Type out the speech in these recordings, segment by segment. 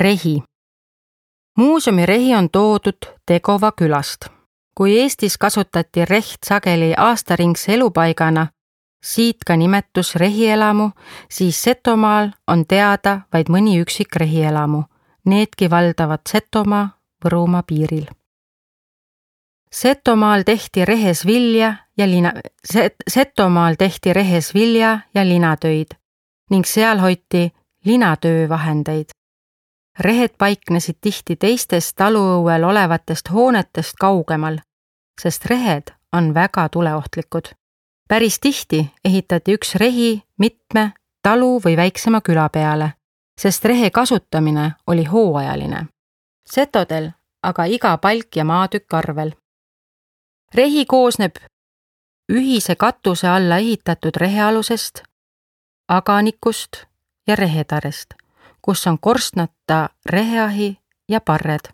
Rehi. Muuseumi rehi on toodud Tegova külast. Kui Eestis kasutati reht sageli aastaringse elupaigana, siit ka nimetus rehielamu, siis Setomaal on teada vaid mõni üksik rehielamu. Needki valdavad Setomaa, Võrumaa piiril. Setomaal tehti rehes vilja ja linatöid ning seal hoiti linatöövahendeid. Rehed paiknesid tihti teistest taluõuel olevatest hoonetest kaugemal, sest rehed on väga tuleohtlikud. Päris tihti ehitati üks rehi mitme talu või väiksema küla peale, sest rehe kasutamine oli hooajaline. Setodel aga iga palk ja maatükk arvel. Rehi koosneb ühise katuse alla ehitatud rehealusest, aganikust ja rehetarest, kus on korstnata reheahi ja parred.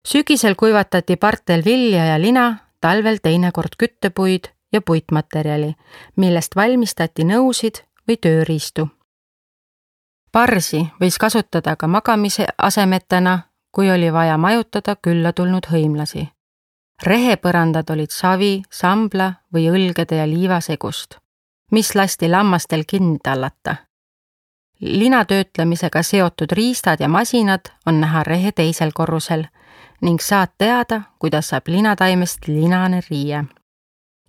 Sügisel kuivatati partel vilja ja lina, talvel teinekord küttepuid ja puitmaterjali, millest valmistati nõusid või tööriistu. Parsi võis kasutada ka magamise asemetena, kui oli vaja majutada külla tulnud hõimlasi. Rehepõrandad olid savi, sambla või õlgede ja liivasegust, mis lasti lammastel kinni tallata. Linatöötlemisega seotud riistad ja masinad on näha rehe teisel korrusel ning saad teada, kuidas saab linataimest linane riie.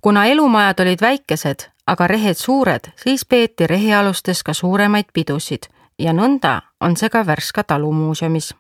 Kuna elumajad olid väikesed, aga rehed suured, siis peeti rehealustes ka suuremaid pidusid ja nõnda on see ka Värska talumuuseumis.